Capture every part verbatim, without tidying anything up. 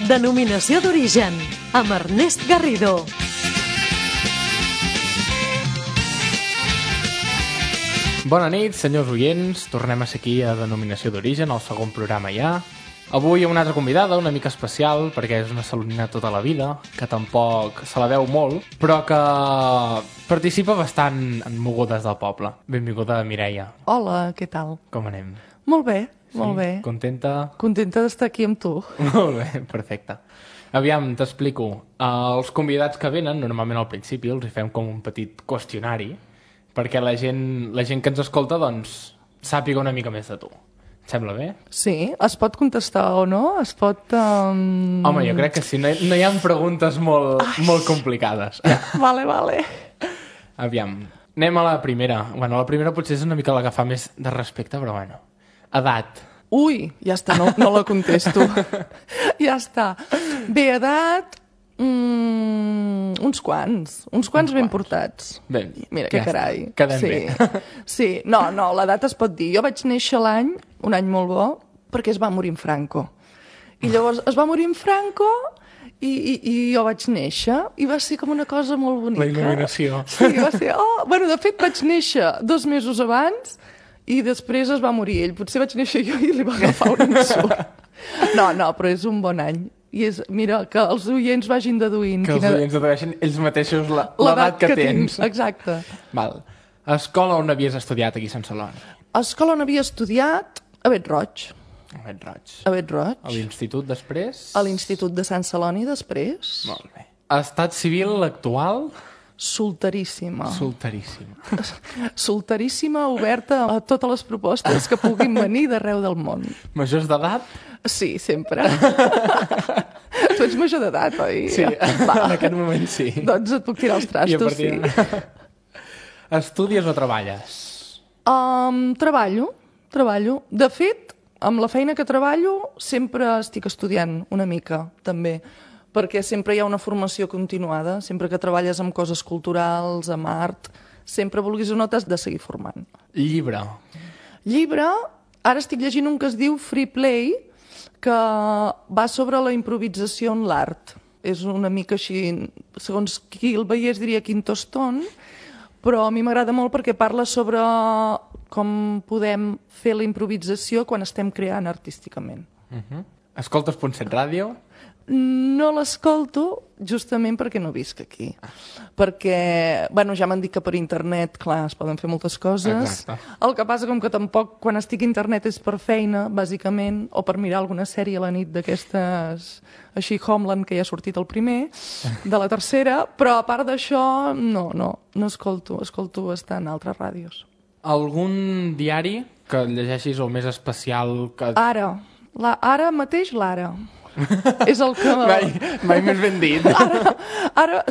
Denominació d'origen, amb Ernest Garrido. Bona nit, senyors oients. Tornem a ser aquí a Denominació d'origen, el segon programa ja. Avui una altra convidada, una mica especial, perquè és una salonina tota la vida, que tampoc se la veu molt, però que participa bastant en mogudes del poble. Benvinguda, Mireia. Hola, què tal? Com anem? Molt bé, Sí? molt bé. Contenta? Contenta d'estar aquí amb tu. Molt bé, perfecte. Aviam, t'explico. Uh, els convidats que venen, normalment al principi, els hi fem com un petit qüestionari, perquè la gent, la gent que ens escolta, doncs, sàpiga una mica més de tu. Et sembla bé? Sí, es pot contestar o no? Es pot... Um... Home, jo crec que sí. No hi, no hi ha preguntes molt, molt complicades. Vale, vale. Aviam, anem a la primera. Bueno, la primera potser és una mica la que fa més de respecte, però bueno. Edat. Ui, ja està, no, no la contesto. Ja està. Bé, edat... Mm, uns quants, uns quants Uns ben quants. portats. Bé, Mira, ja que està. carai. Quedem sí. bé. Sí, no, no, l'edat es pot dir. Jo vaig néixer l'any, un any molt bo, perquè es va morir en Franco. I llavors es va morir en Franco i, i, i jo vaig néixer i va ser com una cosa molt bonica. La il·luminació. Sí, va ser... Oh, bueno, de fet vaig néixer dos mesos abans i després es va morir ell. Potser vaig néixer jo i li va agafar un ensurt. No, no, però és un bon any. I és, mira, que els oients vagin deduint... Que els quina... oients dedueixen ells mateixos la- l'edat que, que tens. Tinc. Exacte. Val. Escola on havies estudiat aquí a Sant Celoni? A escola on havia estudiat a Bet-roig. A Bet-roig. A Bet-roig. A l'institut després? A l'Institut de Sant Celoni després. Molt bé. Estat civil actual? Solteríssima. Solteríssim. Solteríssima, oberta a totes les propostes que puguin venir d'arreu del món. Majors d'edat? Sí, sempre. Tu ets major d'edat, oi? Sí, Va. en aquest moment sí. Doncs et puc tirar els trastos, sí. de... Estudies o treballes? Um, treballo, treballo. De fet, amb la feina que treballo sempre estic estudiant una mica, també, perquè sempre hi ha una formació continuada, sempre que treballes amb coses culturals, amb art, sempre vulguis o no t'has de seguir formant. Llibre? Llibre, ara estic llegint un que es diu Free Play, que va sobre la improvisació en l'art. És una mica així, segons qui el veiés diria quintoston, però a mi m'agrada molt perquè parla sobre com podem fer la improvisació quan estem creant artísticament. Uh -huh. Escoltes Punt set Ràdio? No l'escolto justament perquè no visc aquí. Perquè, bueno, ja m'han dit que per internet, clar, es poden fer moltes coses. Exacte. El que passa com que tampoc, quan estic a internet és per feina, bàsicament, o per mirar alguna sèrie a la nit d'aquestes, així Homeland, que ja ha sortit el primer, de la tercera, però a part d'això, no, no, no escolto, escolto bastant altres ràdios. Algun diari que llegeixis o més especial que... Ara, la, ara mateix l'Ara. És el que... Mai, mai més ben dit. Ara, ara,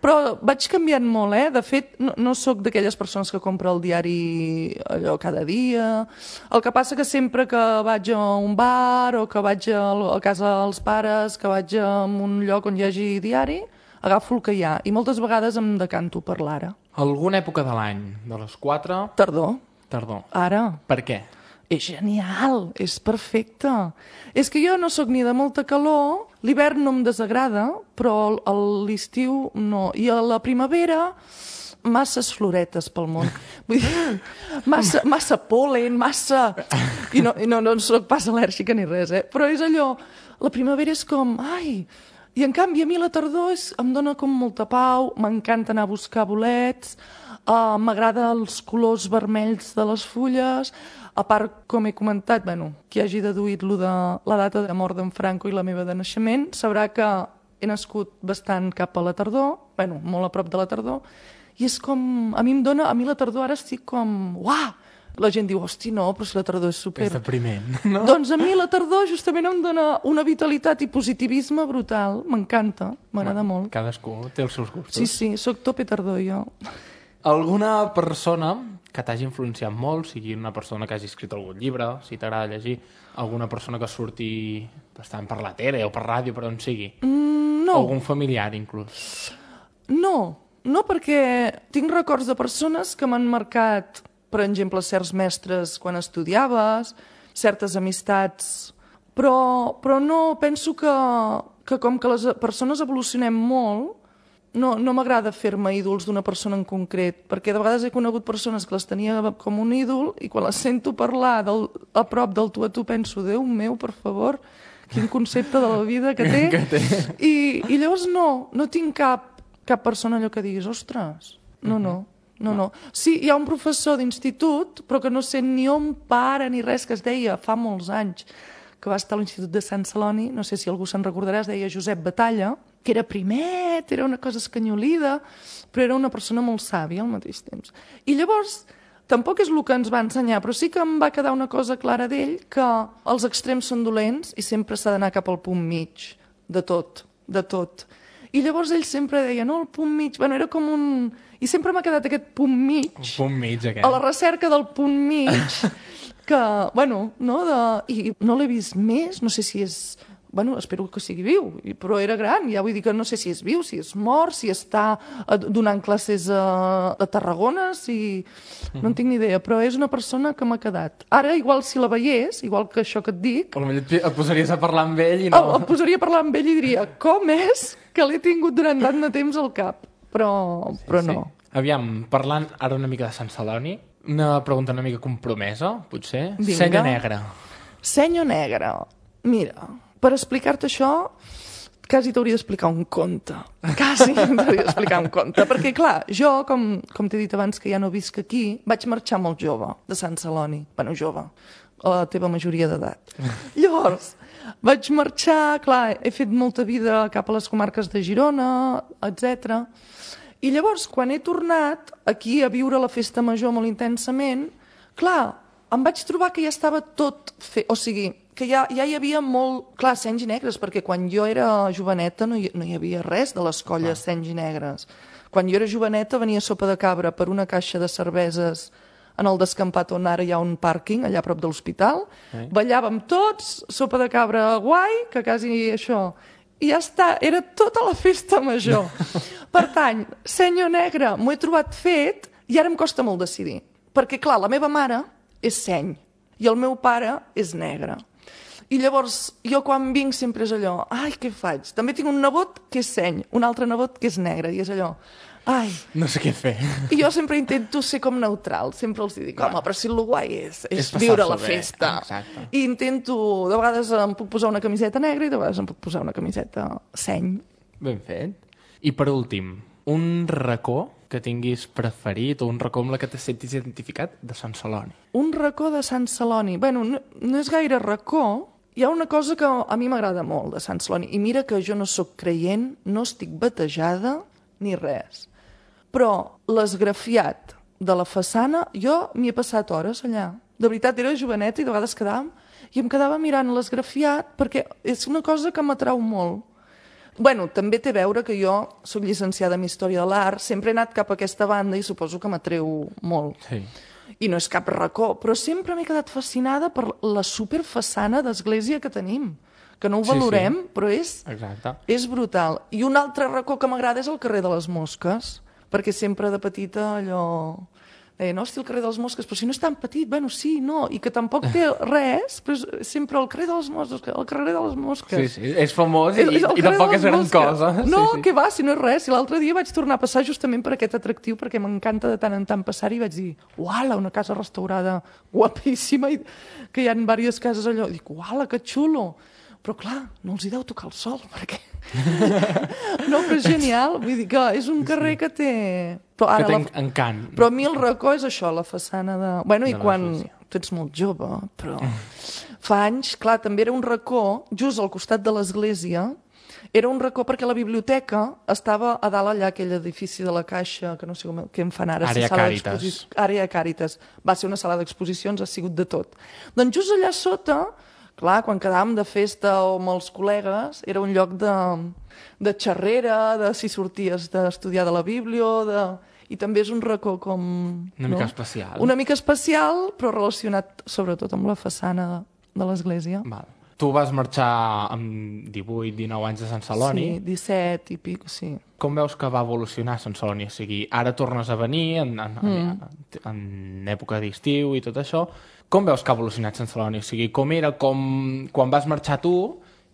però vaig canviant molt, eh? De fet, no, no sóc d'aquelles persones que compra el diari allò cada dia. El que passa que sempre que vaig a un bar o que vaig a, a casa dels pares, que vaig a un lloc on hi hagi diari, agafo el que hi ha. I moltes vegades em decanto per l'Ara. Alguna època de l'any? De les quatre? Tardor. Tardor. Ara. Per què? És genial, és perfecte. És que jo no sóc ni de molta calor, l'hivern no em desagrada, però a l'estiu no. I a la primavera, masses floretes pel món. Vull dir, massa, massa pol·len, massa... I no, i no, no sóc pas al·lèrgica ni res, eh? Però és allò, la primavera és com... Ai! I en canvi a mi la tardor és, em dona com molta pau, m'encanta anar a buscar bolets, uh, m'agrada els colors vermells de les fulles. A part, com he comentat, bueno, qui hagi deduït lo de la data de mort d'en Franco i la meva de naixement, sabrà que he nascut bastant cap a la tardor, bueno, molt a prop de la tardor, i és com... A mi em dona... A mi la tardor ara estic com... Uah! La gent diu, hosti, no, però si la tardor és super... És depriment, no? Doncs a mi la tardor justament em dona una vitalitat i positivisme brutal. M'encanta, m'agrada Bueno, molt. Cadascú té els seus gustos. Sí, sí, sóc tope tardor, jo. Alguna persona que t'hagi influenciat molt, sigui una persona que hagi escrit algun llibre, si t'agrada llegir, alguna persona que surti bastant per la tele o per ràdio, per on sigui? Mm, no. Algun familiar, inclús? No, no perquè tinc records de persones que m'han marcat, per exemple, certs mestres quan estudiaves, certes amistats, però, però no, penso que que com que les persones evolucionem molt, no, no m'agrada fer-me ídols d'una persona en concret, perquè de vegades he conegut persones que les tenia com un ídol i quan les sento parlar del, a prop del tu a tu penso, Déu meu, per favor, quin concepte de la vida que té. que té. I, I llavors no, no tinc cap, cap persona allò que diguis, ostres, no, no. No, no. Sí, hi ha un professor d'institut, però que no sé ni on para ni res, que es deia fa molts anys, que va estar a l'Institut de Sant Celoni, no sé si algú se'n recordarà, es deia Josep Batalla, que era primet, era una cosa escanyolida, però era una persona molt sàvia al mateix temps. I llavors, tampoc és el que ens va ensenyar, però sí que em va quedar una cosa clara d'ell, que els extrems són dolents i sempre s'ha d'anar cap al punt mig, de tot, de tot. I llavors ell sempre deia, no, el punt mig, bueno, era com un... I sempre m'ha quedat aquest punt mig, Un punt mig, aquest. a la recerca del punt mig, que, bueno, no, de... i no l'he vist més, no sé si és... Bueno, espero que sigui viu, i- però era gran, ja vull dir que no sé si és viu, si és mort, si està eh, donant classes a, a Tarragona, si... No en tinc ni idea, però és una persona que m'ha quedat. Ara, igual si la veiés, igual que això que et dic, Potser et et posaries a parlar amb ell i no. no... em posaria a parlar amb ell i diria com és que l'he tingut durant tant de temps al cap, però, però no. Aviam, parlant ara una mica de Sant Celoni, una pregunta una mica compromesa, potser. Vinga. Senya negra. Senyo negre. Mira, per explicar-te això, quasi t'hauria d'explicar un conte. Quasi t'hauria d'explicar un conte. Perquè, clar, jo, com, com t'he dit abans que ja no visc aquí, vaig marxar molt jove, de Sant Celoni. Bueno, jove, a la teva majoria d'edat. Llavors, vaig marxar, clar, he fet molta vida cap a les comarques de Girona, etcètera. I llavors, quan he tornat aquí a viure la festa major molt intensament, clar, em vaig trobar que ja estava tot fet, o sigui, que ja, ja hi havia molt, clar, senys i negres, perquè quan jo era joveneta no hi, no hi havia res de les colles ah. senys i negres. Quan jo era joveneta venia sopa de cabra per una caixa de cerveses en el descampat on ara hi ha un pàrquing, allà a prop de l'hospital, Eh? ballàvem tots, sopa de cabra guai, que quasi això... I ja està, era tota la festa major. Per tant, senyor negre, m'ho he trobat fet i ara em costa molt decidir. Perquè, clar, la meva mare és seny i el meu pare és negre. I llavors, jo quan vinc sempre és allò, ai, què faig? També tinc un nebot que és seny, un altre nebot que és negre, i és allò, ai... No sé què fer. I jo sempre intento ser com neutral, sempre els dic, home, però si el guai és, és, És passar-s'ho viure la bé, festa. exacte. I intento, de vegades em puc posar una camiseta negra i de vegades em puc posar una camiseta seny. Ben fet. I per últim, un racó que tinguis preferit o un racó amb la que te sentis identificat de Sant Celoni. Un racó de Sant Celoni. Bueno, no, no és gaire racó. Hi ha una cosa que a mi m'agrada molt de Sant Celoni. I mira que jo no sóc creient, no estic batejada ni res. Però l'esgrafiat de la façana, jo m'hi he passat hores allà. De veritat, era joveneta i de vegades quedàvem i em quedava mirant l'esgrafiat perquè és una cosa que m'atrau molt. Bueno, també té a veure que jo soc llicenciada en Història de l'Art, sempre he anat cap a aquesta banda i suposo que m'atreu molt. Sí. I no és cap racó, però sempre m'he quedat fascinada per la superfaçana d'església que tenim, que no ho Sí, valorem, sí. però és, Exacte. és brutal. I un altre racó que m'agrada és el carrer de les Mosques, perquè sempre de petita allò... Eh, no, hosti, el carrer de les Mosques, però si no és tan petit, bueno, sí, no, i que tampoc té res, però és sempre el carrer de les Mosques, el carrer de les Mosques. Sí, sí, és famós i, És- és el i carrer tampoc de és les gran Mosques. cosa. No, sí, sí. que va, si no és res. Si l'altre dia vaig tornar a passar justament per aquest atractiu, perquè m'encanta de tant en tant passar-hi, i vaig dir, uala, una casa restaurada guapíssima, i que hi ha diverses cases allò. I dic, uala, que xulo. Però clar, no els hi deu tocar el sol, perquè... no, però és genial. Vull dir que és un carrer que té... Però Que ara té la... encant. Però a mi el racó és això, la façana de... Bueno, i De quan... l'església. Tu ets molt jove, però... Fa anys, clar, també era un racó, just al costat de l'església, era un racó perquè la biblioteca estava a dalt allà, aquell edifici de la Caixa, que no sé com, què en fan ara. Àrea si sala Càritas. d'exposi- Àrea Càritas. Va ser una sala d'exposicions, ha sigut de tot. Doncs just allà sota, clar, quan quedàvem de festa o amb els col·legues, era un lloc de, de xerrera, de si sorties d'estudiar de la Bíblia, de... i també és un racó com... Una mica especial. Una mica especial, però relacionat sobretot amb la façana de, de l'església. Val. Tu vas marxar amb divuit dinou anys de Sant Celoni. Sí, disset i pico, sí. Com veus que va evolucionar Sant Celoni? O sigui, ara tornes a venir en, en, mm. en, en època d'estiu i tot això. Com veus que ha evolucionat Sant Celoni? O sigui, com era com quan vas marxar tu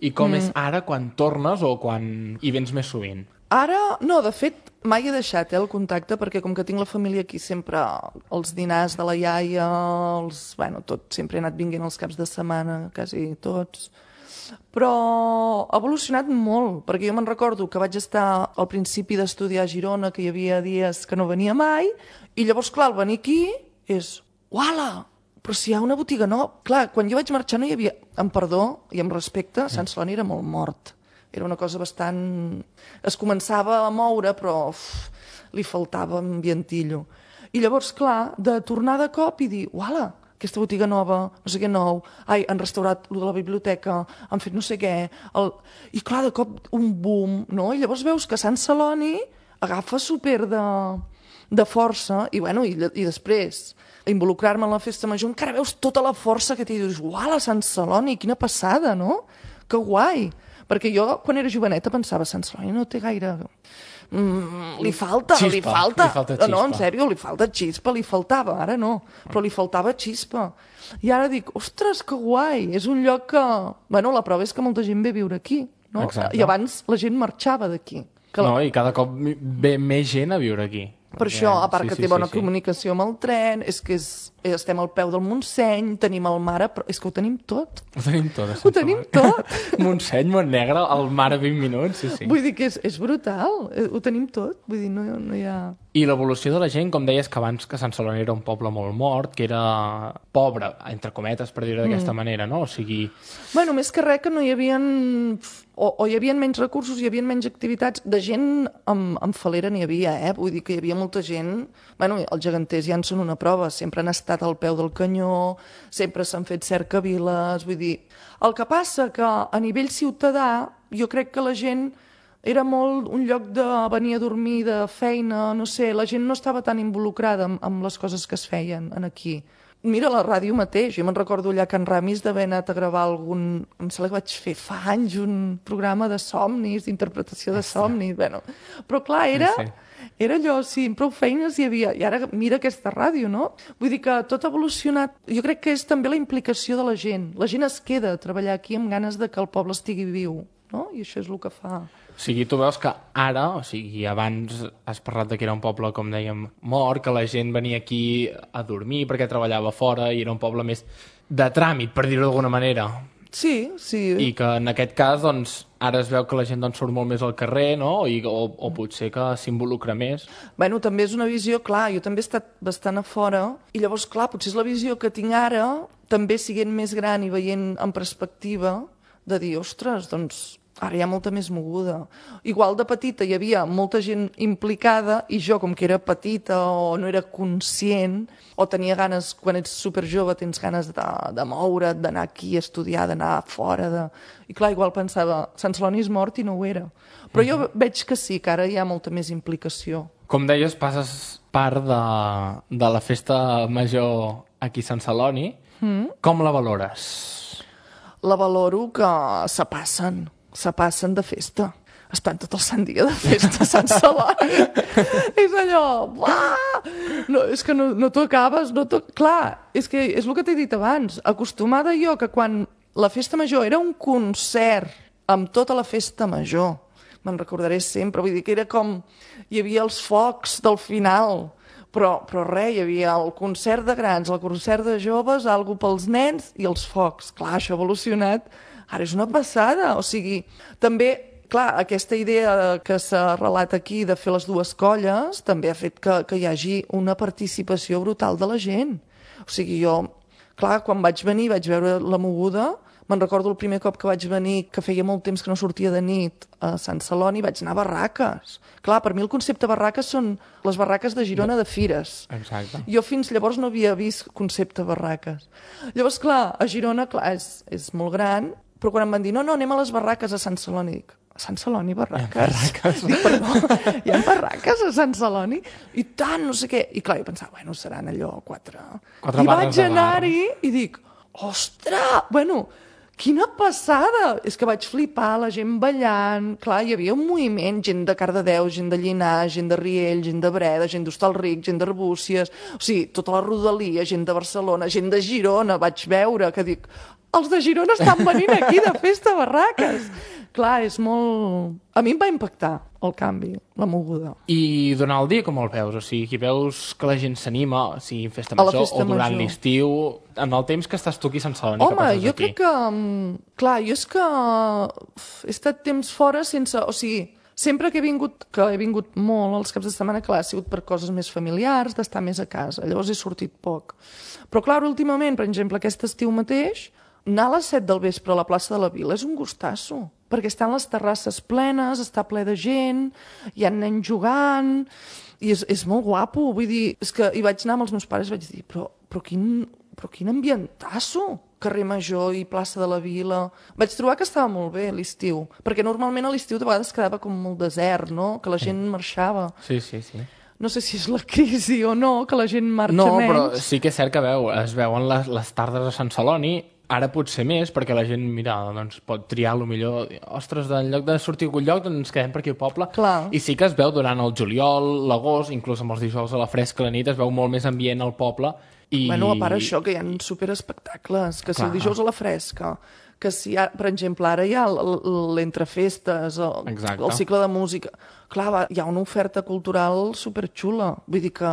I com mm. és ara quan tornes o quan hi vens més sovint? Ara, no, de fet, mai he deixat eh, el contacte, perquè com que tinc la família aquí sempre, els dinars de la iaia, els, bueno, tot, sempre he anat vinguent els caps de setmana, quasi tots. Però ha evolucionat molt, perquè jo me'n recordo que vaig estar al principi d'estudiar a Girona, que hi havia dies que no venia mai, i llavors, clar, el venir aquí és, uala, però si hi ha una botiga nova... Clar, quan jo vaig marxar no hi havia, amb perdó i amb respecte, Sant Celoni era molt mort. Era una cosa bastant... Es començava a moure, però uf, li faltava ambientillo. I llavors, clar, de tornar de cop i dir, uala, aquesta botiga nova, no sé què nou, ai, han restaurat lo de la biblioteca, han fet no sé què... El... I clar, de cop un boom, no? I llavors veus que Sant Celoni agafa super de, de força, i bueno, i, i després involucrar-me en la festa major, encara veus tota la força que té, i dius, uala, Sant Celoni, quina passada, no? Que guai! Perquè jo, quan era joveneta, pensava, Sant Celoni no té gaire... Mm, li falta, xispa, li falta. Li falta xispa. No, en sèrio, li falta xispa, li faltava, ara no, però li faltava xispa. I ara dic, ostres, que guai, és un lloc que... Bueno, la prova és que molta gent ve a viure aquí, no? Exacte. I abans la gent marxava d'aquí. Que la... No, i cada cop ve més gent a viure aquí. Per Perquè... això, a part sí, que sí, té bona sí, sí. comunicació amb el tren, és que és, estem al peu del Montseny, tenim el mar, però és que ho tenim tot. Ho tenim tot. Ho tenim tot. Montseny, Montnegre, el mar a vint minuts, sí, sí. Vull dir que és, és brutal, ho tenim tot, vull dir, no, no hi ha... I l'evolució de la gent, com deies que abans que Sant Celoni era un poble molt mort, que era pobre, entre cometes, per dir-ho d'aquesta mm. manera, no? O sigui... Bueno, més que res que no hi havia... O, o hi havia menys recursos, hi havia menys activitats. De gent amb, amb falera n'hi havia, eh? Vull dir que hi havia molta gent... Bueno, els geganters ja en són una prova, sempre han estat al peu del canyó, sempre s'han fet cercaviles, vull dir... El que passa que a nivell ciutadà, jo crec que la gent... Era molt un lloc de venir a dormir, de feina, no sé, la gent no estava tan involucrada amb, amb les coses que es feien en aquí. Mira, la ràdio mateix, jo me'n recordo allà a Can Ramis d'haver anat a gravar algun... Em sembla que vaig fer fa anys un programa de somnis, d'interpretació de somnis, bueno. Però clar, era, era allò, sí, prou feines hi havia. I ara mira aquesta ràdio, no? Vull dir que tot ha evolucionat. Jo crec que és també la implicació de la gent. La gent es queda a treballar aquí amb ganes de que el poble estigui viu, no? I això és el que fa... O sigui, tu veus que ara, o sigui, abans has parlat de que era un poble, com dèiem, mort, que la gent venia aquí a dormir perquè treballava fora i era un poble més de tràmit, per dir-ho d'alguna manera. Sí, sí. I que en aquest cas, doncs, ara es veu que la gent doncs, surt molt més al carrer, no? I, o, o potser que s'involucra més. Bueno, també és una visió, clar, jo també he estat bastant a fora, i llavors, clar, potser és la visió que tinc ara, també siguent més gran i veient en perspectiva, de dir, ostres, doncs... Ara hi ha molta més moguda. Igual de petita hi havia molta gent implicada i jo, com que era petita o no era conscient, o tenia ganes, quan ets superjove, tens ganes de, de moure't, d'anar aquí a estudiar, d'anar fora. De... I clar, igual pensava, Sant Celoni és mort i no ho era. Però jo veig que sí, que ara hi ha molta més implicació. Com deies, passes part de, de la festa major aquí a Sant Celoni. Mm. Com la valores? La valoro que se passen. se passen de festa. Estan tot el sant dia de festa a Sant Celoni. És allò... Buah! No, és que no, no t'ho acabes, no t'ho... Clar, és que és el que t'he dit abans. Acostumada jo que quan la festa major era un concert amb tota la festa major, me'n recordaré sempre, vull dir que era com... Hi havia els focs del final, però, però res, hi havia el concert de grans, el concert de joves, algo pels nens i els focs. Clar, això ha evolucionat. Ara és una passada, o sigui, també, clar, aquesta idea que s'ha relat aquí de fer les dues colles també ha fet que, que hi hagi una participació brutal de la gent. O sigui, jo, clar, quan vaig venir vaig veure la moguda, me'n recordo el primer cop que vaig venir, que feia molt temps que no sortia de nit a Sant Celoni, vaig anar a barraques. Clar, per mi el concepte barraques són les barraques de Girona de fires. Exacte. Jo fins llavors no havia vist concepte barraques. Llavors, clar, a Girona, clar, és, és molt gran, però quan em van dir, no, no, anem a les barraques a Sant Celoni, dic, a Sant Celoni, barraques? Hi ha barraques. Dic, perdó, hi ha barraques a Sant Celoni? I tant, no sé què. I clar, jo pensava, bueno, seran allò quatre... Quatre I barres vaig de bar. anar-hi i dic, ostres, bueno, quina passada! És que vaig flipar, la gent ballant, clar, hi havia un moviment, gent de Cardedeu, gent de Llinars, gent de Riell, gent de Breda, gent d'Hostalric, gent de Arbúcies, o sigui, tota la rodalia, gent de Barcelona, gent de Girona, vaig veure, que dic, els de Girona estan venint aquí de festa a barraques. Clar, és molt... A mi em va impactar el canvi, la moguda. I durant el dia com el veus? O sigui, veus que la gent s'anima, o sigui, en festa A la major festa o durant major. l'estiu, en el temps que estàs tu aquí a Sant Celoni, que Home, passes jo aquí? crec que... mm, Clar, jo és que uf, he estat temps fora sense... O sigui, sempre que he vingut, que he vingut molt els caps de setmana, clar, ha sigut per coses més familiars, d'estar més a casa. Llavors he sortit poc. Però clar, últimament, per exemple, aquest estiu mateix, anar a les set del vespre a la plaça de la Vila és un gustasso, perquè estan les terrasses plenes, està ple de gent, hi ha nens jugant, i és, és molt guapo. Vull dir, és que hi vaig anar amb els meus pares i vaig dir, però, però, quin, però quin ambientasso! Carrer Major i plaça de la Vila. Vaig trobar que estava molt bé l'estiu, perquè normalment a l'estiu de vegades quedava com molt desert, no? Que la gent marxava. Sí, sí, sí. No sé si és la crisi o no, que la gent marxa No, menys. però sí que és cert que veu, es veuen les, les tardes a Sant Celoni, ara potser més, perquè la gent, mira, doncs pot triar lo millor. Ostres, en lloc de sortir a algun lloc, doncs ens quedem per aquí al poble. Clar. I sí que es veu durant el juliol, l'agost, inclús amb els dijous a la fresca, a la nit, es veu molt més ambient al poble. I... Bueno, a part això, que hi ha superespectacles, que si Clar. el dijous a la fresca, que si, ha, per exemple, ara hi ha l- l- l'entrefestes, el, Exacte. el cicle de música. Clar, va, hi ha una oferta cultural superxula. Vull dir que,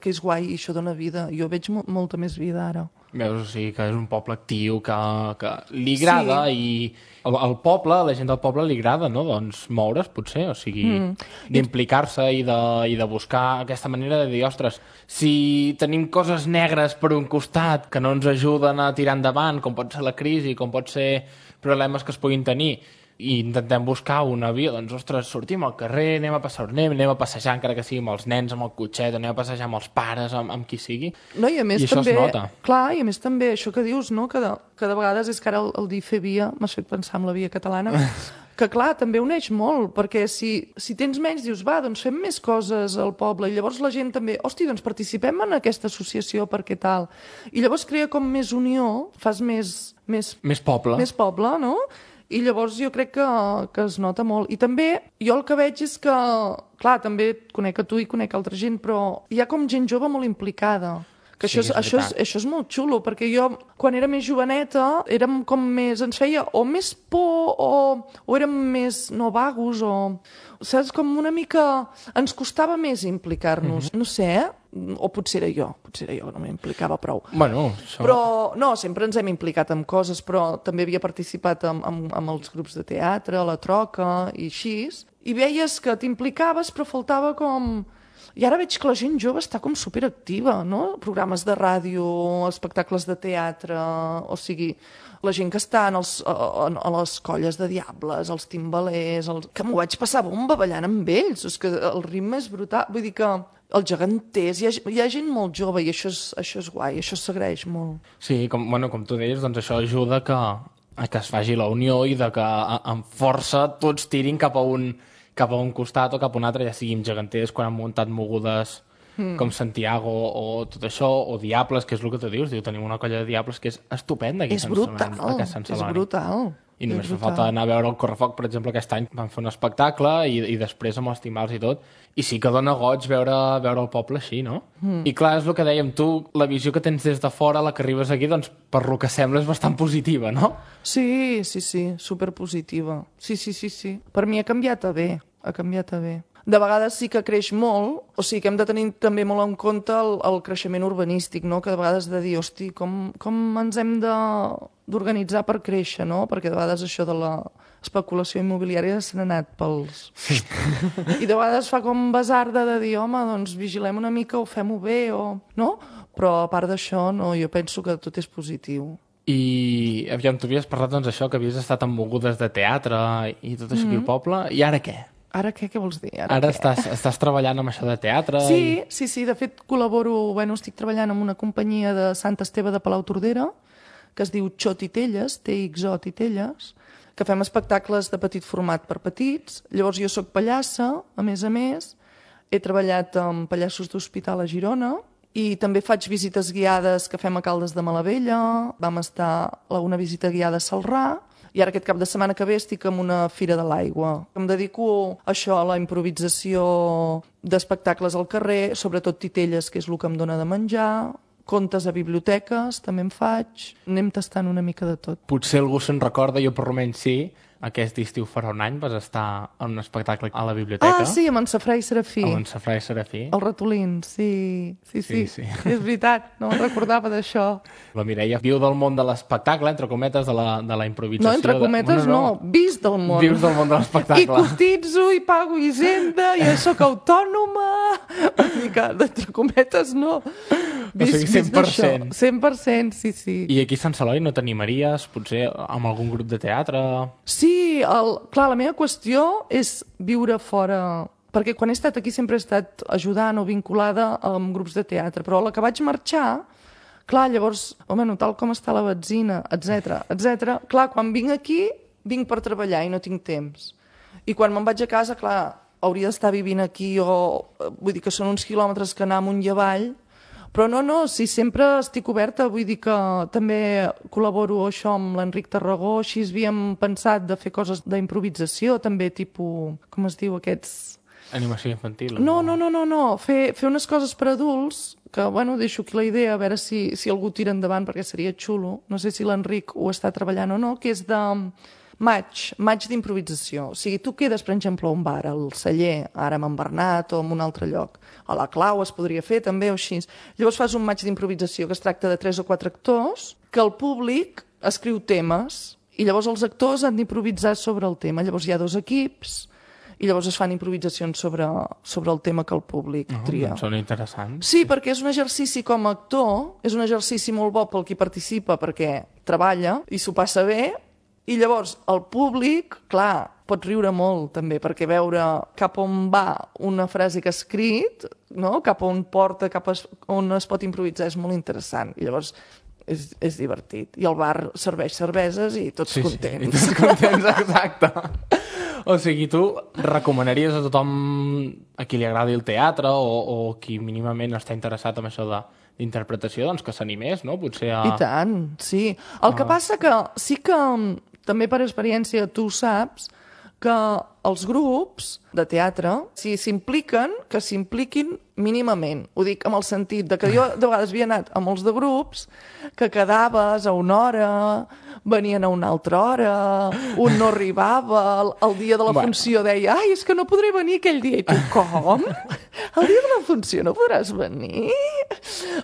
que és guai i això dona vida. Jo veig mo molta més vida ara. Veus, o sigui, que és un poble actiu, que, que li agrada, Sí. i al, al poble, a la gent del poble li agrada, no?, doncs moure's, potser, o sigui, mm. d'implicar-se i, de, i de buscar aquesta manera de dir, ostres, si tenim coses negres per un costat que no ens ajuden a tirar endavant, com pot ser la crisi, com pot ser problemes que es puguin tenir, i intentem buscar una via, doncs, ostres, sortim al carrer, anem a passar anem, anem a passejar, encara que sigui amb els nens, amb el cotxet, anem a passejar amb els pares, amb, amb qui sigui. No, i a més I això també, es nota. clar, i a més també això que dius, no? que, de, que de vegades és que ara el, el dir fer via, m'has fet pensar en la via catalana, que clar, també uneix molt, perquè si, si tens menys dius, va, doncs fem més coses al poble, i llavors la gent també, hosti, doncs participem en aquesta associació perquè tal, i llavors crea com més unió, fas més, més, Més poble. més poble, no? I llavors jo crec que, que es nota molt. I també jo el que veig és que, clar, també et conec a tu i conec altra gent, però hi ha com gent jove molt implicada. Que Sí, això, és, és això, és, veritat. això és molt xulo, perquè jo, quan era més joveneta, érem com més... Ens feia o més por o, o érem més no vagos o... Saps? Com una mica... Ens costava més implicar-nos. Mhm. No sé, eh? O potser era jo. Potser era jo, no m'implicava prou. Bueno, això... Però, no, sempre ens hem implicat en coses, però també havia participat amb, amb, amb els grups de teatre, a la troca i així. I veies que t'implicaves, però faltava com... I ara veig que la gent jove està com superactiva, no? Programes de ràdio, espectacles de teatre, o sigui, la gent que està en els, a, a, a les colles de diables, els timbalers, els... que m'ho vaig passar bomba ballant amb ells, és que el ritme és brutal, vull dir que els geganters, hi ha, hi ha gent molt jove i això és, això és guai, això s'agraeix molt. Sí, com, bueno, com tu deies, doncs això ajuda que, a que es faci la unió i de que a, amb força tots tirin cap a un cap a un costat o cap a un altre, ja sigui amb geganters quan han muntat mogudes mm. com Santiago o tot això, o Diables, que és el que tu dius, diu, tenim una colla de Diables que és estupenda aquí És a Sant brutal, Celoni, aquí a Sant és Celoni. brutal. I només és fa falta anar a veure el Correfoc, per exemple, aquest any van fer un espectacle i, i després amb els timbals i tot. I sí que dona goig veure, veure el poble així, no? Mm. I clar, és el que dèiem, tu, la visió que tens des de fora, la que arribes aquí, doncs, per lo que sembla, és bastant positiva, no? Sí, sí, sí, superpositiva. Sí, sí, sí, sí. Per mi ha canviat a bé, ha canviat a bé. De vegades sí que creix molt, o sigui que hem de tenir també molt en compte el, el creixement urbanístic, no? Que de vegades de dir, hosti, com, com ens hem de d'organitzar per créixer, no? Perquè de vegades això de la especulació immobiliària se n'ha anat pels... I de vegades fa com basarda de dir, home, doncs vigilem una mica o fem-ho bé, o... no? Però a part d'això, no, jo penso que tot és positiu. I, aviam, tu havies parlat, doncs, això, que havies estat en mogudes de teatre i tot això mm. aquí al poble, i ara què? Ara què? Què vols dir? Ara, Ara què? estàs, estàs treballant amb això de teatre? Sí, i... sí, sí, de fet col·laboro, bueno, estic treballant amb una companyia de Sant Esteve de Palau Tordera, que es diu Xo Titelles, T X O Titelles, que fem espectacles de petit format per petits. Llavors jo sóc pallassa, a més a més, he treballat amb pallassos d'hospital a Girona, i també faig visites guiades que fem a Caldes de Malavella, vam estar a una visita guiada a Celrà, i ara aquest cap de setmana que ve estic en una fira de l'aigua. Em dedico a això, a la improvisació d'espectacles al carrer, sobretot titelles, que és el que em dóna de menjar, contes a biblioteques, també en faig, anem tastant una mica de tot. Potser algú se'n recorda, jo per almenys sí, aquest estiu farà un any vas estar en un espectacle a la biblioteca. Ah, sí, amb en Safrà i Serafí. Amb en Safrà i Serafí. El ratolín, sí. Sí, sí, Sí, sí. és veritat, no me'n recordava d'això. La Mireia viu del món de l'espectacle, entre cometes, de la, de la improvisació. No, entre cometes de... no, no, vist del món. Vius del món de l'espectacle. I cotitzo, i pago hisenda, i sóc autònoma. Vull dir que, d'entre cometes, no. Vist, o sigui, cent per cent. Vist cent per cent, sí, sí. I aquí a Sant Celoni no t'animaries, potser, amb algun grup de teatre? Sí, el, clar, la meva qüestió és viure fora... Perquè quan he estat aquí sempre he estat ajudant o vinculada amb grups de teatre, però a la que vaig marxar, clar, llavors, home, no, tal com està la benzina, etcètera, etcètera. Clar, quan vinc aquí, vinc per treballar i no tinc temps. I quan me'n vaig a casa, clar, hauria d'estar vivint aquí o... Vull dir que són uns quilòmetres que anar amunt i avall, però no, no, sí, sempre estic oberta, vull dir que també col·laboro això amb l'Enric Tarragó, així havíem pensat de fer coses d'improvisació, també tipus, com es diu, aquests... Animació infantil? No, no, no, no, no. Fer, fer unes coses per adults, que, bueno, deixo aquí la idea, a veure si, si algú tira endavant, perquè seria xulo. No sé si l'Enric ho està treballant o no, que és de maig, maig d'improvisació. O sigui, tu quedes, per exemple, a un bar, al Celler, ara amb en Bernat o en un altre lloc. A la Clau es podria fer, també, o així. Llavors fas un maig d'improvisació que es tracta de tres o quatre actors, que el públic escriu temes, i llavors els actors han d'improvisar sobre el tema. Llavors hi ha dos equips, i llavors es fan improvisacions sobre, sobre el tema que el públic oh, tria. Doncs són interessants. Sí, perquè és un exercici com a actor, és un exercici molt bo pel qui participa perquè treballa i s'ho passa bé, i llavors el públic, clar, pot riure molt també, perquè veure cap on va una frase que ha escrit, no? Cap on porta, cap es, on es pot improvisar, és molt interessant. I llavors és, és divertit. I el bar serveix cerveses i tots sí, contents. Sí, i tots contents, exacte. O sigui, tu recomanaries a tothom a qui li agradi el teatre o, o qui mínimament està interessat en això de, d'interpretació, doncs que s'animés, no? Potser a... I tant, sí. El que Ah. passa que sí que, també per experiència, tu saps que els grups de teatre, si s'impliquen, que s'impliquin mínimament. Ho dic amb el sentit de que jo de vegades havia anat a molts de grups que quedaves a una hora, venien a una altra hora, un no arribava, el, el dia de la Bueno. funció deia ai, és que no podré venir aquell dia. I tu, com? El dia de la funció no podràs venir?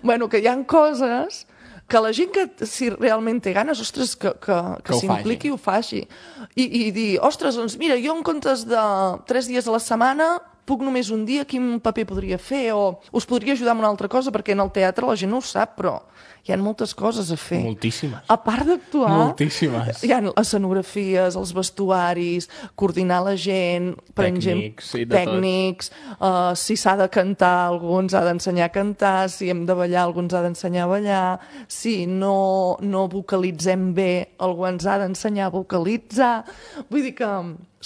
Bueno, que hi ha coses que la gent que si realment té ganes, ostres, que, que, que, Que ho s'impliqui i ho faci. I, I dir, ostres, doncs mira, jo en comptes de tres dies a la setmana puc només un dia, quin paper podria fer? O us podria ajudar amb una altra cosa, perquè en el teatre la gent no ho sap, però hi ha moltes coses a fer. Moltíssimes. A part d'actuar, Moltíssimes. hi ha escenografies, els vestuaris, coordinar la gent, per Tècnics, exemple, i de tot. tècnics, uh, si s'ha de cantar, algú ens ha d'ensenyar a cantar, si hem de ballar, algú ens ha d'ensenyar a ballar, si no, no vocalitzem bé, algú ens ha d'ensenyar a vocalitzar. Vull dir que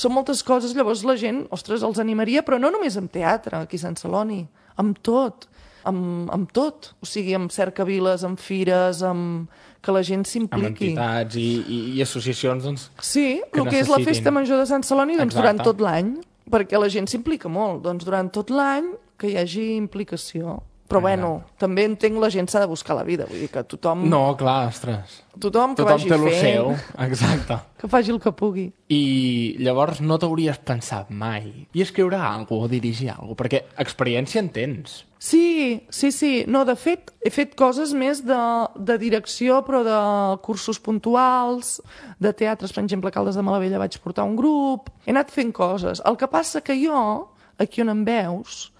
són moltes coses, llavors la gent, ostres, els animaria, però no només amb teatre, aquí a Sant Celoni, amb tot. Amb, amb tot, o sigui, amb cercaviles, amb fires, amb que la gent Amb s'impliqui. entitats i, i, i associacions, doncs... Sí, que el que és la necessitin. festa major de Sant Celoni, doncs Exacte. durant tot l'any, perquè la gent s'implica molt, doncs durant tot l'any que hi hagi implicació. Però bueno, també entenc la gent s'ha de buscar la vida, vull dir que tothom, No, clar, ostres. tothom que Tothom vagi té el fent, seu, exacte. que faci el que pugui. I llavors no t'hauries pensat mai i escriure alguna cosa o dirigir alguna cosa, perquè experiència en tens. Sí, sí, sí. No, de fet, he fet coses més de, de direcció, però de cursos puntuals, de teatres, per exemple, a Caldes de Malavella vaig portar un grup, he anat fent coses. El que passa que jo, aquí on em veus,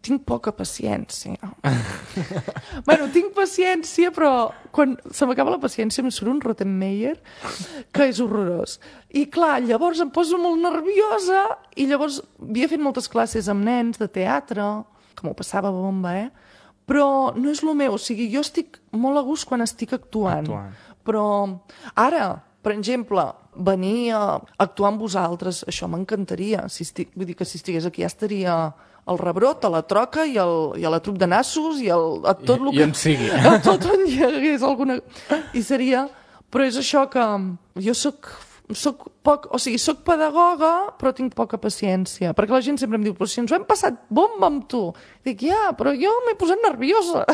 tinc poca paciència. Bueno, tinc paciència, però quan se m'acaba la paciència em surt un Rottenmeier que és horrorós. I clar, llavors em poso molt nerviosa i llavors havia fet moltes classes amb nens de teatre, que m'ho passava bomba, eh? Però no és el meu, o sigui, jo estic molt a gust quan estic actuant. Actuant. Però ara, per exemple, venir a actuar amb vosaltres, això m'encantaria. Si estic, vull dir que si estigués aquí ja estaria al Rebrot, a la Troca i, el, i a la Trup de Nassos i el, a tot I- el i on sigui. A tot on hi hagués alguna... I seria... Però és això que jo sóc soc poc, o sigui, soc pedagoga, però tinc poca paciència, perquè la gent sempre em diu, però si ens ho hem passat bomba amb tu. Dic, ja, però jo m'he posat nerviosa.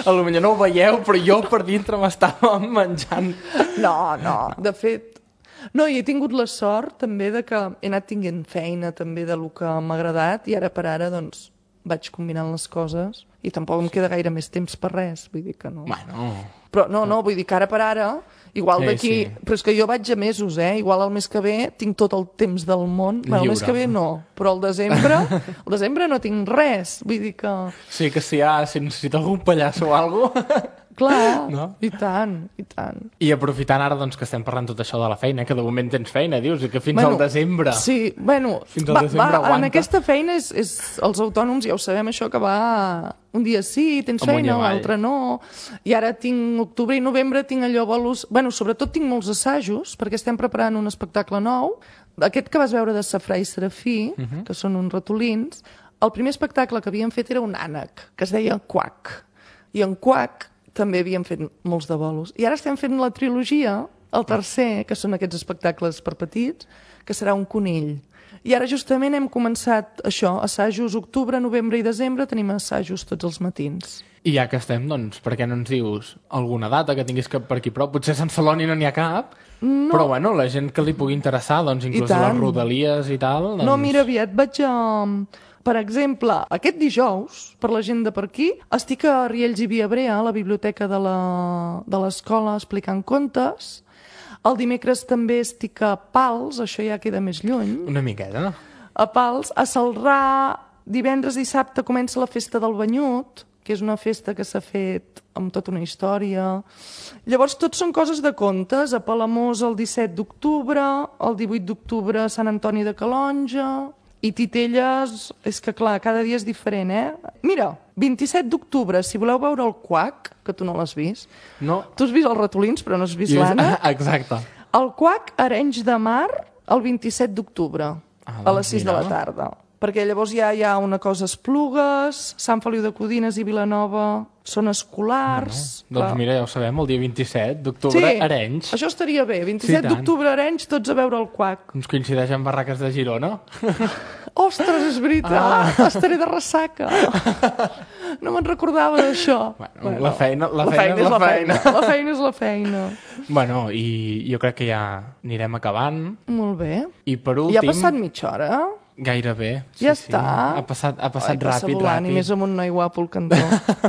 A lo millor no ho veieu, però jo per dintre m'estava menjant. No, no, de fet... No, i he tingut la sort també de que he anat tinguent feina també de lo que m'ha agradat i ara per ara, doncs, vaig combinant les coses i tampoc em queda gaire més temps per res, vull dir que no... Bueno... Però no, no, vull dir que ara per ara, igual Sí, d'aquí... sí. Però és que jo vaig a mesos, eh? Igual el mes que ve tinc tot el temps del món. Bueno, el mes Lliure. que ve no, però el desembre, el desembre no tinc res. Vull dir que... Sí que si, ha, si necessita algun pallasso o alguna cosa... Clar, No? i tant, i tant. I aprofitant ara doncs, que estem parlant tot això de la feina, que de moment tens feina, dius, i que fins Bueno, al desembre... Sí, bueno, Fins al desembre va, aguanta. en aquesta feina és, és, els autònoms ja ho sabem això, que va un dia sí, tens Amunt i feina, avall. l'altre no, i ara tinc octubre i novembre, tinc allò bolos... Bueno, sobretot tinc molts assajos, perquè estem preparant un espectacle nou, aquest que vas veure de Safrà i Serafí, uh -huh. que són uns ratolins, el primer espectacle que havíem fet era un ànec, que es deia Quack, i en Quack també havíem fet molts de bolos. I ara estem fent la trilogia, el tercer, que són aquests espectacles per petits, que serà un conill. I ara justament hem començat això, assajos octubre, novembre i desembre, tenim assajos tots els matins. I ja que estem, doncs, per què no ens dius alguna data que tinguis cap per aquí prop? Potser a Sant Celoni no n'hi ha cap, no. Però bueno, la gent que li pugui interessar, doncs, inclús a les rodalies i tal... Doncs... No, mira, aviat vaig a... Per exemple, aquest dijous, per la gent de per aquí, estic a Riells i Viabrea, a la biblioteca de la- de l'escola, explicant contes. El dimecres també estic a Pals, això ja queda més lluny. Una miqueta. A Pals, a Celrà, divendres i dissabte comença la festa del Banyut, que és una festa que s'ha fet amb tota una història. Llavors, tot són coses de contes. A Palamós el disset d'octubre, el divuit d'octubre a Sant Antoni de Calonja... I Titelles, és que clar, cada dia és diferent, eh? Mira, vint-i-set d'octubre, si voleu veure el Quack, que tu no l'has vist, No. tu has vist els ratolins però no has vist I és- l'Anna, Exacte. el Quack a Arenys de Mar el vint-i-set d'octubre, Ah, a doncs les sis mira. de la tarda. Perquè llavors ja hi ha una cosa Esplugues, Sant Feliu de Codines i Vilanova són escolars... Doncs clar. mira, ja ho sabem, el dia vint-i-set d'octubre, Arenys. això estaria bé, vint-i-set Sí, tant. d'octubre a Arenys, tots a veure el Quack. Ens coincideix amb Barraques de Girona. Ostres, és veritat, ah. estaré de ressaca. No me'n recordava d'això. Bueno, la feina- la la feina és és la la feina. feina. La feina és la feina. Bueno, i jo crec que ja anirem acabant. Molt bé. I per I últim... ha passat mitja hora? Gairebé. Sí, Ja sí. està. Ha passat, ha passat Ai, passa ràpid, volant, ràpid. I més amb un noi guapo al cantó.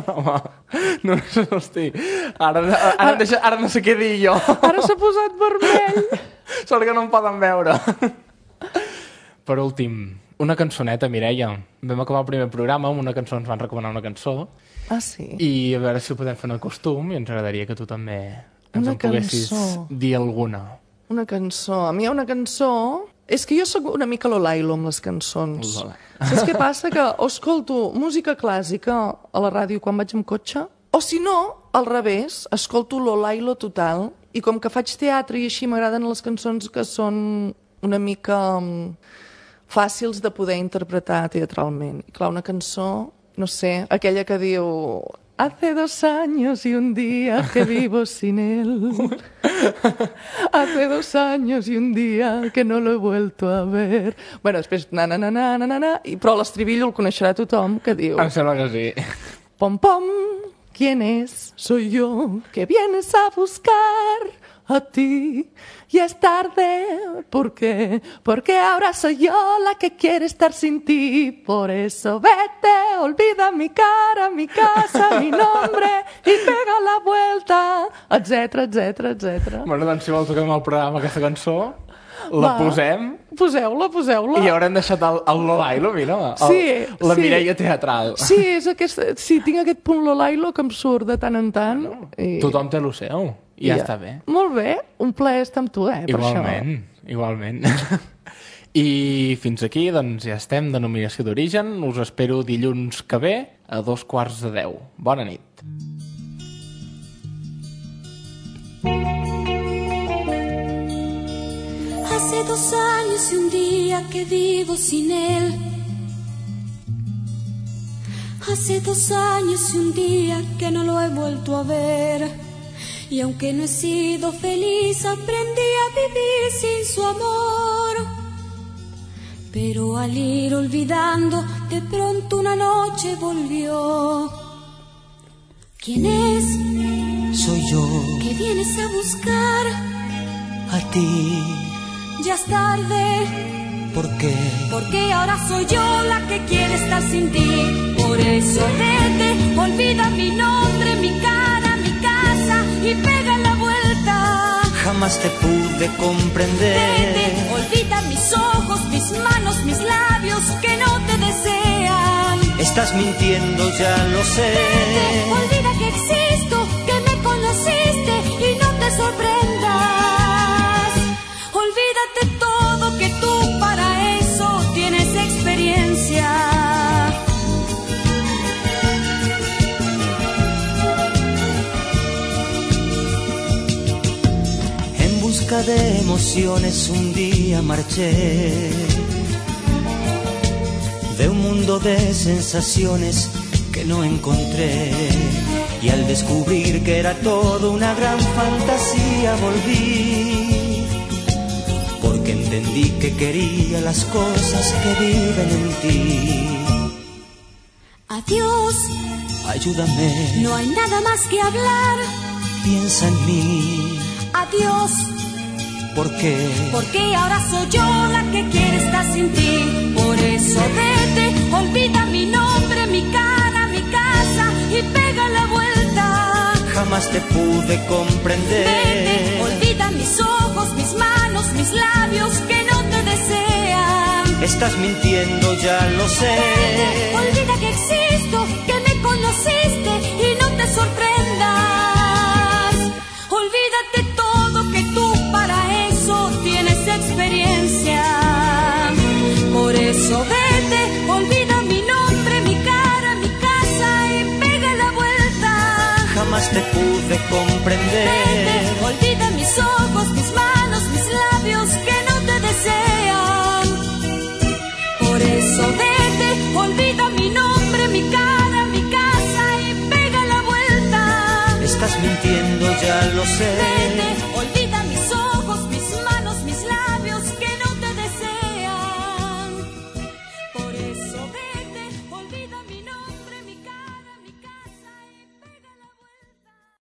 Home, no, no, hosti. Ara, ara, ara, deixa, ara no sé què dir jo. Ara s'ha posat vermell. Sort que no em poden veure. Per últim, una cançoneta, Mireia. Vam acabar el primer programa amb una cançó, ens van recomanar una cançó, Ah, sí? i a veure si ho podem fer en el costum, i ens agradaria que tu també ens Una en poguessis cançó. dir alguna. Una cançó. A mi hi ha una cançó... És que jo sóc una mica Lolailo amb les cançons. Lola. Saps què passa? Que o escolto música clàssica a la ràdio quan vaig amb cotxe, o si no, al revés, escolto Lolailo total, i com que faig teatre i així m'agraden les cançons que són una mica um, fàcils de poder interpretar teatralment. I clar, una cançó, no sé, aquella que diu... Hace dos años y un día que vivo sin él. Hace dos años y un día que no lo he vuelto a ver. Bueno, després, na, na, na, na, na, na, na, i, però l'estribillo el coneixerà tothom, que diu... Em sembla que sí. Pom, pom, ¿quién es? Soy yo, que vienes a buscar a ti. Ya es tarde, ¿por qué? Porque ahora soy yo la que quiere estar sin ti. Por eso vete, olvida mi cara, mi casa, mi nombre y pega la vuelta, etcètera, etcètera, etcètera. Bueno, doncs si vol toquem el programa aquesta cançó, la Va. posem Poseu-la, poseu-la. i haurem deixat el, el Lolailo, mira, el, Sí, la sí. Mireia teatral. Sí, és aquesta, sí, tinc aquest punt Lolailo que em surt de tant en tant. I... Tothom té el seu, i ja, ja està bé. Molt bé, un plaer estar amb tu, eh, per Igualment, igualment. I fins aquí, doncs, ja estem, denominació d'origen. Us espero dilluns que ve a dos quarts de deu. Bona nit. Hace dos años y un día que vivo sin él. Hace dos años y un día que no lo he vuelto a ver. Y aunque no he sido feliz, aprendí a vivir sin su amor. Pero al ir olvidando, de pronto una noche volvió. ¿Quién es? Soy yo. ¿Qué vienes a buscar? A ti. Ya es tarde. ¿Por qué? Porque ahora soy yo la que quiere estar sin ti. Por eso vete, olvida mi nombre, mi cara, mi casa y pega la vuelta. Jamás te pude comprender. Vete, olvida mis ojos, mis manos, mis labios que no te desean. Estás mintiendo, ya lo sé. Vete, olvida que existo, que me conociste y no te sorprendas. Olvídate todo, que tú para eso tienes experiencia. En busca de emociones un día marché, de un mundo de sensaciones que no encontré. Y al descubrir que era todo una gran fantasía volví, porque entendí que quería las cosas que viven en ti. Adiós, ayúdame, no hay nada más que hablar. Piensa en mí. Adiós, ¿por qué? Porque ahora soy yo la que quiere estar sin ti. Por eso vete, olvida mi nombre, mi cara, mi casa y pega la vuelta. Jamás te pude comprender. Vete, olvida mis ojos, mis manos, mis labios que no te desean. Estás mintiendo, ya lo sé. Vete, olvida que existo, que me conociste y no te sorprendas. Olvídate todo, que tú para eso tienes experiencia. Por eso vete, olvida mi nombre, mi cara, mi casa y pega la vuelta. Jamás te pude comprender. Vete, olvida mis ojos, mis manos, mis labios que no te desean. Por eso vete, olvida mi nombre, mi cara, mi casa y pega la vuelta. Estás mintiendo, ya lo sé. Vete,